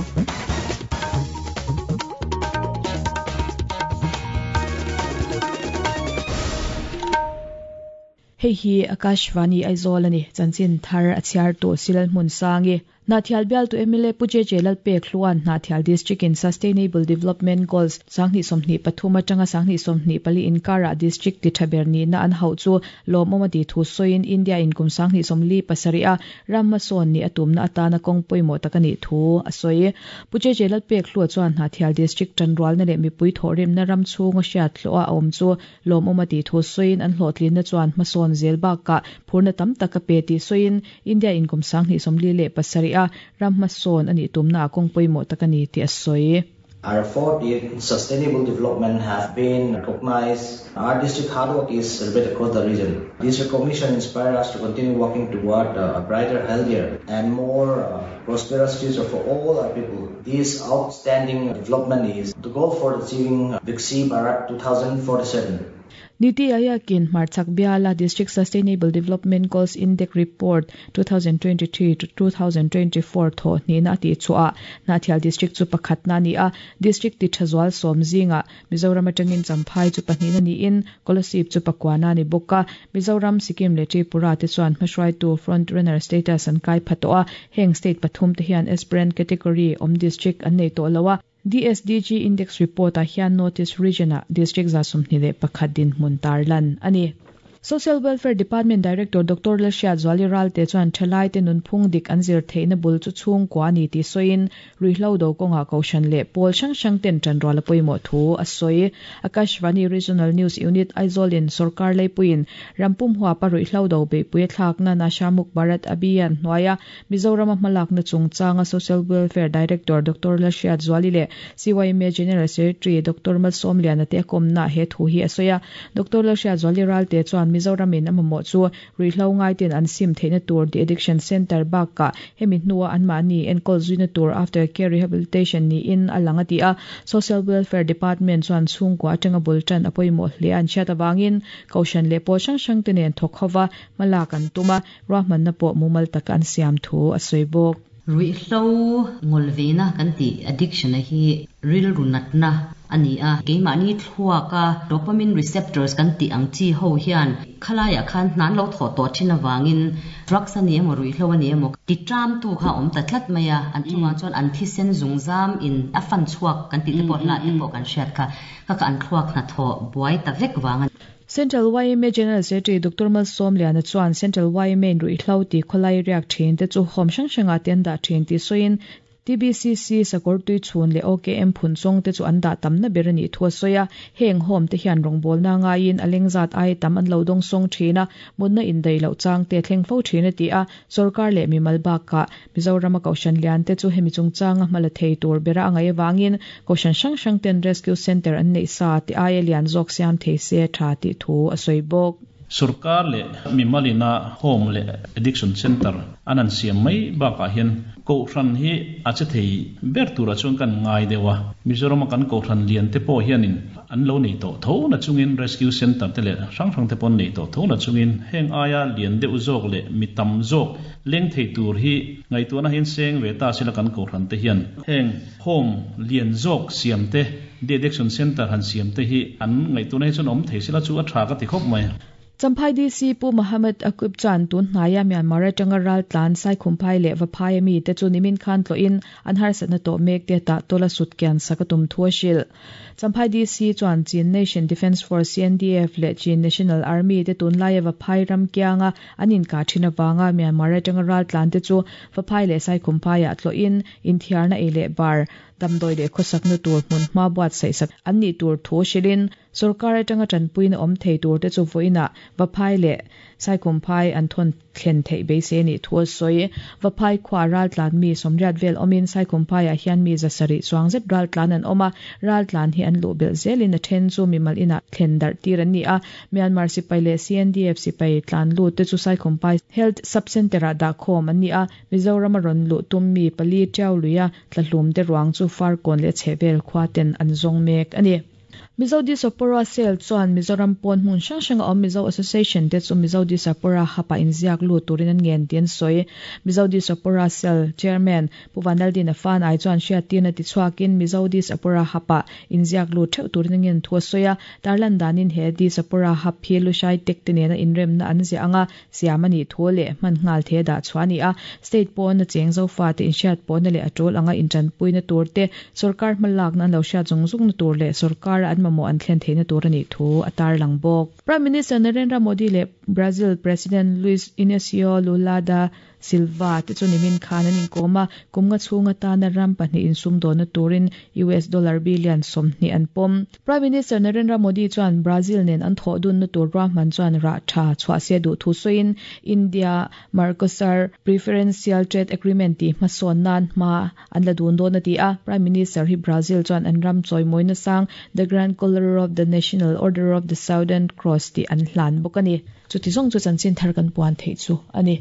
Hei hi Akashvani Aizawl a ni, chanchin thar a chhiartu Silal Hmunsangi. Hnahthial bialtu mla Pu JJ Lalpek Hluan Hnahthial District in Sustainable Development Goals 2023 atanga 2024 inkarah District ti tha ber nihna an hauh chu lawmawm a ti thu sawiin India in kum 2047 a ram hmasawn nih a tumna atana kawng pawimawh tak a nih thu a sawi. Pu JJ Lalpek Hlua chuan Hnahthial District tanrualna leh mipui thawhrimna ram chhunga hriat hlawh a awm chu Lawmawm a tih thu sawiin an hlawhtlinna chuan hmasawn zel bakah phurna tam tak a pe tih sawiin India in kum 2037 a ram hmasawn a nih tumnaah kawng pawimawh tak a ni tih a sawi. Our effort in sustainable development have been recognized. Our district hard work is celebrated across the region. This recognition inspires us to continue working toward a brighter, healthier and more prosperous future for all our people. This outstanding development is the goal for achieving Viksit Bharat 2047. Niti Aayog-in hmarchhak biala District Sustainable Development Goals Index Report 2023 to 2024 thawh hnihna a tih chhuah ah Hnahthial District chu pakhatna a ni a, District ti tha zual sawm zingah Mizoram atangin Champhai chu pahnihna niin Kolasib chu pakuana a ni bawk a, Mizoram, Sikkim leh Tripura te chuan hmahruaitu front runner status an kai pha tawh a, heng state pathum te hian aspirant category awm district an nei tawh lo a. DSDG Index Report ah hian North East Region ah District 21 dinhmun tarlan a ni. Social Welfare Department Director Doctor Lalhriatzuali Ralte chuan thalaite nunphung dik an zir theihna bul chu chhungkua a ni tih sawiin Ruihhlo do kawngah Kohhran leh pawl hrang hrang ten tanrual a pawimawh thu a sawi. Akashvani Regional News Unit Aizawl in sawrkar leipuiin rampum huapa ruihhlo do beihpui a thlakna Nasha Muk Bharat Abhiyan hnuaia Mizorama hmalakna chungchanga Social Welfare Director Doctor Lalhriatzuali leh CYMA General Secretary Doctor Malsawmliana te a kawmnaah he thu hi a sawi a. Doctor Lalhriatzuali Ralte chuan Mizoramin a mamawh chu Ruihhlo ngaite'n an sim theihna tur de-addiction centre bakah hemi hnua anmahni enkawl zuina tur after care rehabilitation niin a lang a ti a. Social Welfare Department chuan chhungkua atanga bul tan a pawimawh hle an hriat avangin Kohhran leh pawl hrang hrangte nen thawk hova hmalak an tum a, ruahmanna pawh mumal taka an siam thu a sawi bawk. Ruihhlo ngawlveina kan tih addiction a hi rilru natna a ni a, keimahni thluaka dopamine receptors kan tih ang chi ho hian khalaiah khan hna an lo thawh tawh thin avangin drugs a ni emaw ruihhlo a ni emaw ti tramtu kha a awm ta tlat mai a, an chungah chuan an thisen zungzam in a fan chhuak kan tih te pawh hlah te pawh kan hriat kha, kha kha an thluak hnathawh buai ta vek vang a ni. Central yma General Secretary Doctor Malsawmliana chuan Central yma in ruihhlo tih khawlai riak thin te chu home hrang hrangah te an dah thin tih sawiin TBCC sakawr tui chhun leh OKM phun chawng te chu an dah tamna ber a nih thu a sawi a. Heng home te hian rawngbawlna ngaiin a lengzat aia tam an lo dawng sawng thin a, mutna indaih loh chang te a thleng fo thin a ti a. Sorkar leh mimal bakah Mizorama Kohhran lian te chu hemi chungchanga hma la thei tur bera a ngaih avangin Kohhran hrang hrang ten Rescue Centre an neih sa tih aia lian zawk siam thei se tha tih thu a sawi bawk. Sorkar leh mimal ina Home leh Addiction Centre an han siam mai bakah hian Kohhran hi a che thei ber turah chuan kan ngai deuh a. Mizorama kan Kohhran lian te pawh hianin an lo nei tawh tho na chungin Rescue Centre te leh hrang hrang te pawh an nei tawh tho na chungin heng aia lian deuh zawk leh mi tam zawk leng thei tur hi ngaihtuahna hian seng ve ta sila kan Kohhran te hian heng Home lian zawk siam te, De-addiction Centre han siam te hi an ngaihtuahna hi chuan awm thei sila chu a tha ka ti khawp mai. Champhai DC Pu Mohammed Aqib chuan tun hnaia Myanmar atanga raltlan Saikhumphai leh Vaphai ami te chu nimin khan tlawhin an harsatna tawh mek te tah tawla sut kian sak a tum thu a hrilh. Champhai DC chuan Chin Nation Defence Force, CNDF, leh Chin National Army te tunlaia Vaphai ram kianga an inkah thin avanga Myanmar atanga raltlan te chu Vaphai leh Saikhumphaiah tlawhin inthiarna ei leh bar, damdawi leh khawsakna tur hmun hma buatsaih sak an nih tur thu hrilhin Sorkar atanga tanpuina awm thei tur te chu vawiinah Vaphai leh Saikhumphai an thawn thlen theih beisei a nih thu a sawi. Vaphai khuaa raltlan mi sawmriat vel awmin Saikhumphaiah hian mi zasarih chuang zet raltlan an awm a, raltlan hi an luh belh zelin a then chu mimal inah thlen darh tir an ni a. Myanmar sipai leh CNDF sipai tlan lut te chu Saikhumphai Health Sub-Centre-ah dahkhawm an ni a, Mizoram a rawn luh tum mi pali Tiau luia tlahlum te ruang chu Farkawn leh a chhehvel khua ten an zawng mek a ni. Mizo Diaspora Cell chuan Mizoram pawn hmun hrang hranga awm Mizo Association te chu Mizo Diaspora Hub-ah inziak lut turin an ngen tih an sawi. Mizo Diaspora Cell Chairman Pu Vanlaldina Fanai chuan hriattirna tichhuakin Mizo Diaspora Hub-ah inziak lut theuh turin a ngen thu a sawi a. Tarlan danin he Diaspora Hub hi Lushai Tech te nena inremna an ziah anga siam a nih thu leh hman nghal the dah chhuah a ni a. State pawna cheng zofate inhriat pawhna leh a tul anga intanpuina tur te, sorkar hmalakna an lo hriat zung zungna tur leh sorkara an mamawh an thlen theihna tur a nih thu a tarlang bawk. Prime Minister Narendra Modi leh Brazil President Luiz Inacio Lula da Silva te chu nimin khan an inkawm a, kum nga chhung atana ram pahnih insumdawnna turin US dollar billion 20 an pawm. Prime Minister Narendra Modi chuan Brazil nen an thawh dunna tur ruahman chuan rah tha chhuah se duh thu sawiin India Mercosur Preferential Trade Agreement tih hmasawn nan hma an la dun dawn a ti a. Prime Minister hi Brazil chuan an ram chawimawina sang The Grand Collar of the National Order of the Southern Cross tih an hlan bawk a ni. Chuti zawng chu chanchin thar kan puan theih chu a ni.